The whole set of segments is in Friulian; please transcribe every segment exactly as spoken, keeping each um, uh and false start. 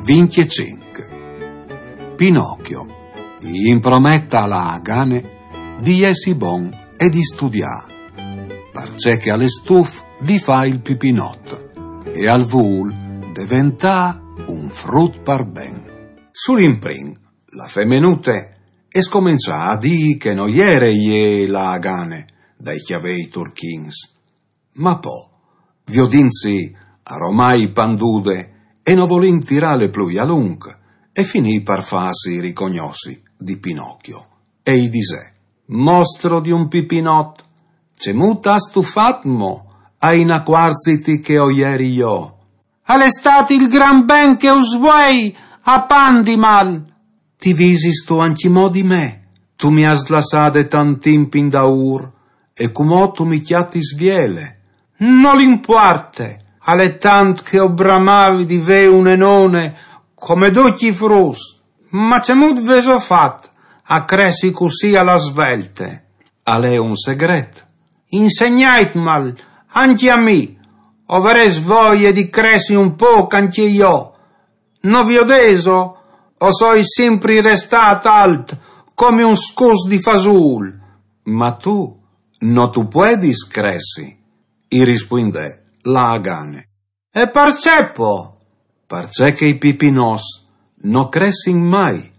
Vincjecinc. Pinocchio i impromèt a la Agane di jessi bon e di studiâ, parcè che al è stuf di fâ il pipinot e al vûl deventâ un frut par ben. Sul imprin, la femenute e scomençà a dî che no jere jê la Agane dai cjavei turchins. Ma po, viodintsi aromai pandude e no volint tirâle plui a lunc, e finì par fâsi ricognossi di Pinocchio e i disè: «Mostro di un pipinot, cemût âstu fat mo a inacuarziti che o jeri jo?» «Al è stât il gran ben che us vuei a pandimal.» «Ti visistu ancjemò di me? Tu mi âs lassade tant timp indaûr, e cumò tu mi cjatis viele.» «Nol impuarte, al è tant che o bramavi di vê une none come ducj i fruts, ma cemût vêso fat a cressi cussì a la svelte?» «Al è un segret.» «Insegnait mal ancje a mi, o varès voie di cressi un pôc ancje jo. No viodêso? O soi simpri restât alt come un scus di fasûl.» «Ma tu no tu puedis cressi», i rispuindè la Agane. «E parcè po?» «Parcè che i pipinots no cressin mai,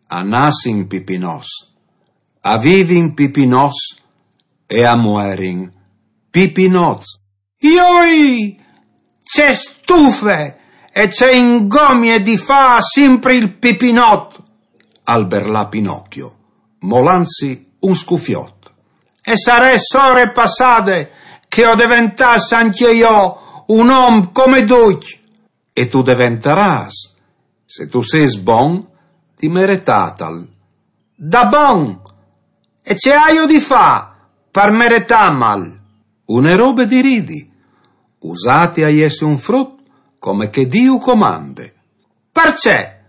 a nassin pipinots, a vivin pipinots e a muerin pipinots.» «Joi, ce stufe e ce ingomie di fâ simpri il pipinot!» al berlà Pinocchio, molantsi un scufiot. «E sarès ore passade che o deventàs ancje jo un om come ducj.» «E tu deventarâs, se tu sês bon di meretâtal.» «Da bon? E ce aio di fâ par meretâmal?» «Une robe di ridi, usâti a jessi un frut come che Diu comande.» «Parcè?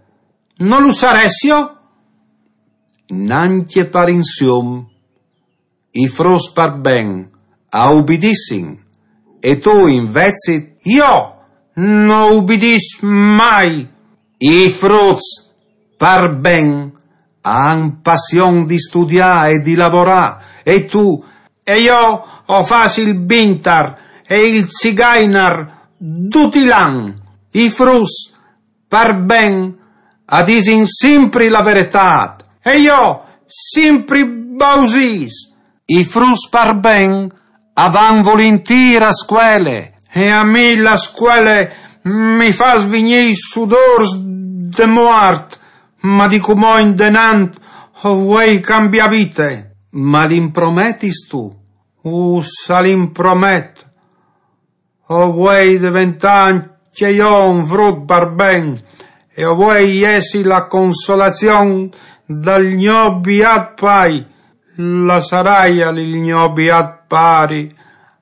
No lu sarès jo?» «Nancje par insium. I fruts par ben a ubidissin, e tu invezit?» «Jo no ubidìs mai.» «I fruts par ben a àn passion di studiâ e di lavorâ, e tu?» «E jo o fâs il bintar e il cigainar dut il an.» «I fruts par ben a disin simpri la veretât.» «E jo simpri bausîs.» «I fruts par ben a van vulintîr a scuele.» «E a mi la scuele mi fâs vignî i sudôrs de muart, ma di cumò indenant o vuei cambiâ vite.» «Ma l'imprometistu?» «Uh, se l'impromet. O vuei deventâ ancje jo un frut par ben, e o vuei jessi la consolazion dal gno biât pai. Lassaraial il gno biât pari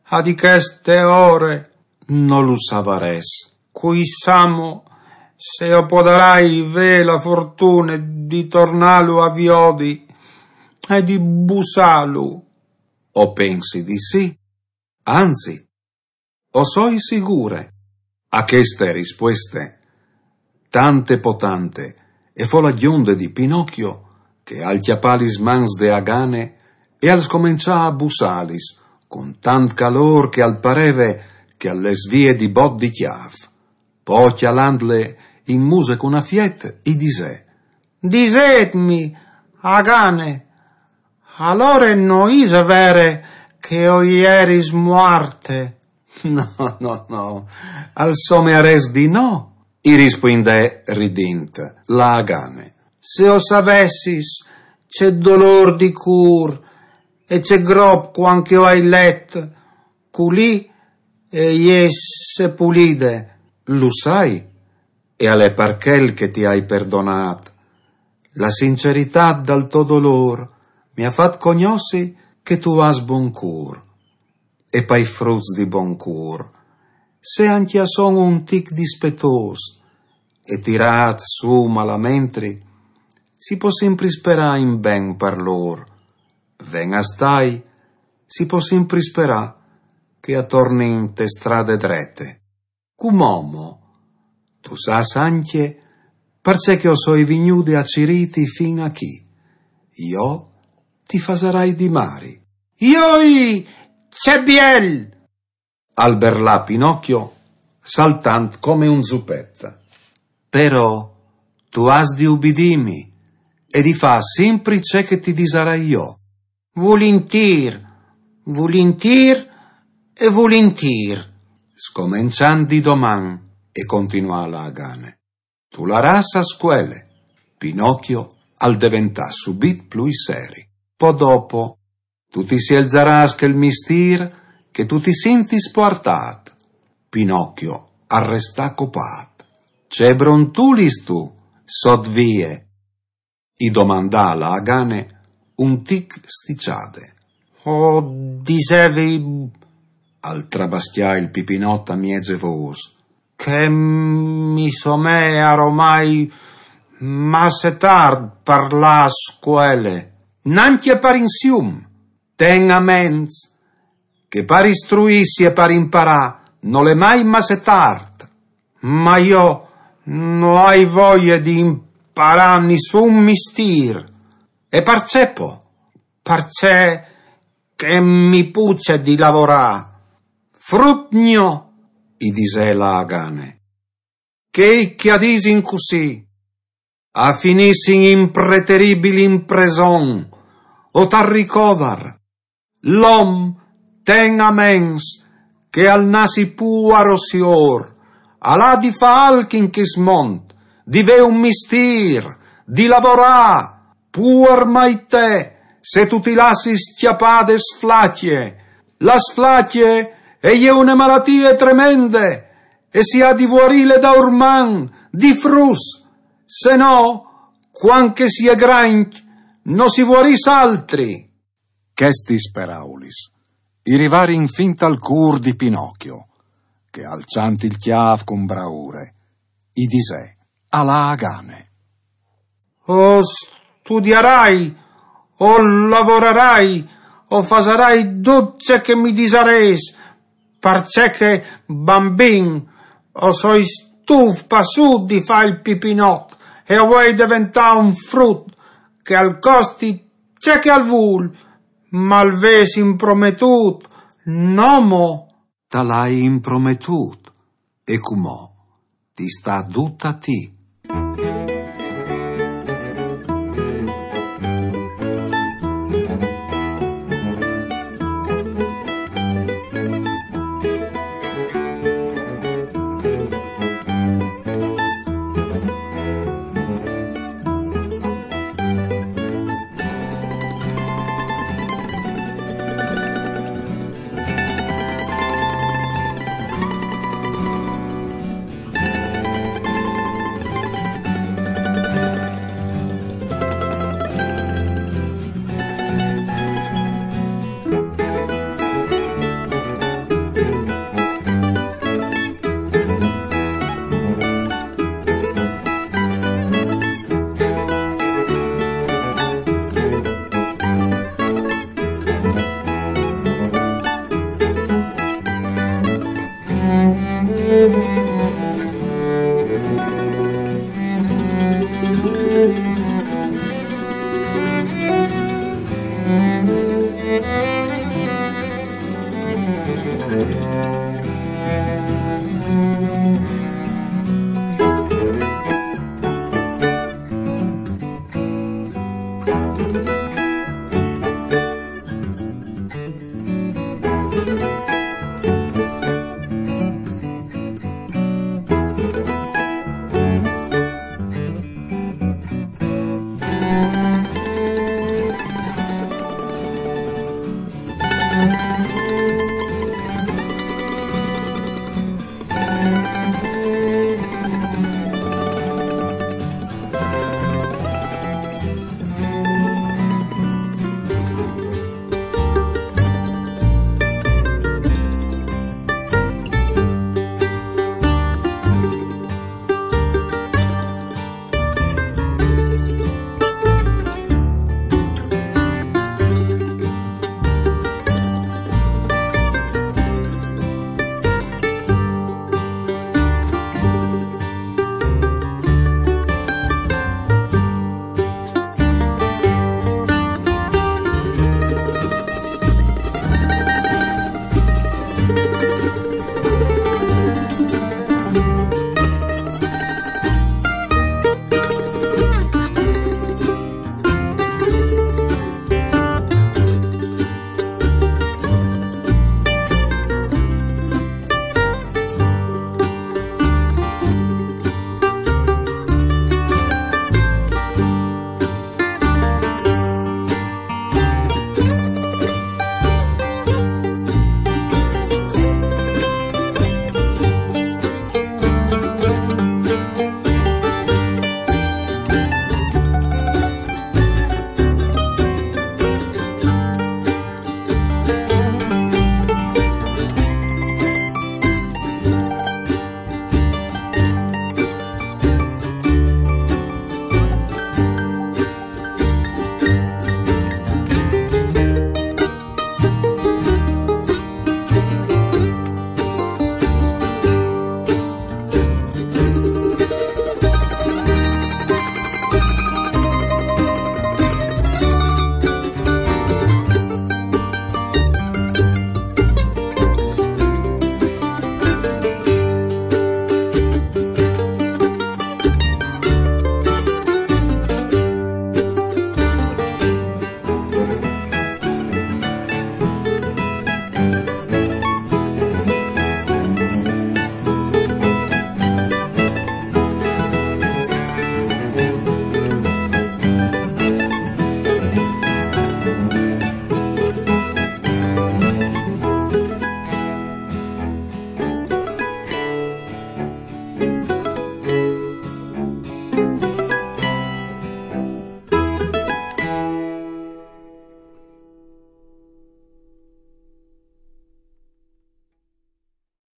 a di cheste ore?» «No lu savarès.» «Cui sa mo se o podarai vê la fortune di tornâlu a viodi e di bussâlu.» «O pensi di sì. Anzit, o soi sigure.» A cheste rispueste, tante po tante, e fo la gjonde di Pinocchio, che al cjapà lis mans de Agane e al scomençà a bussâlis cun tant calôr che al pareve che al les vie di bot di cjâf. Po, cjalandle in muse cun afiet, i disè: «Disêtmi, Agane, alore no ise vere che o jeris muarte?» «No, no, no, al somearès di no», i rispuindè ridint la Agane. «Se o savessis ce dolôr di cûr e ce grop cuant che o ai let culì e jê sepulide.» «Lu sai, e al è par chel che ti ai perdonât. La sinceritât dal to dolôr mi à fat cognossi che tu âs bon cûr. E pai fruts di bon cûr, se ancje a son un tic dispetôs e tirâts sù malamentri, si po simpri sperâ in ben par lôr. Ven a stâi, si po simpri sperâ che a tornin te strade drete. Cumò mo, tu sâs ancje parcè che o soi vignude a cirîti fin a chi. Jo ti fasarai di mari. Joi, ce biel! Al berlà Pinocchio, saltant come un zupet. Però tu âs di ubidîmi e di fâ simpri ce che ti disarai jo. Vulintîr, vulintîr e vulintîr, scomençant di doman, e continuà la Agane. Tu larâs a scuele. Pinocchio al deventà subit plui seri. Po dopo, tu ti sielzarâs chel mistîr che tu ti sintis puartât. Pinocchio al restà copât. Ce brontulis tu sot vie? I domandà la Agane un tic sticiade. O disevi, al trabascjà il Pipinot a mieze vôs, che mi somee aromai masse tart par lâ a scuele. Nancje par insium, ten a ments che par istruîsi e par imparâ nol è mai masse tart. Ma jo no ai voie di imparâ nissun mistîr. E parcè po? Parcè che mi puce di lavorâ. Frut gno, i disè la Agane, chei che a disin cussì a finissin in preteribil impreson, o tal ricovar. L'om, ten a ments che al nassi puar o siôr, al à di fâ alc in chest mont, di vê un mistîr, di lavorâ. Puar mai te, se tu ti lassis cjapâ de sflacje. La sflacje e je une malatie tremende, e si à di vuarîle daurman, di fruts, se no, cuant che si è grancj, no si vuarìs altri. Chestis peraulis i rivarin fin tal cûr di Pinocchio, che, alçant il cjâf cun braure, i disè a la Agane: O studiarai, o lavorarai, o fasarai dut ce che mi disarês, parcè che, bambin, o soi stuf passût di fâ il Pipinot e o vuei deventâ un frut che al costi ce che al vûl, ma al vês imprometût, no mo? Tal ai imprometût, e cumò ti sta dut a ti.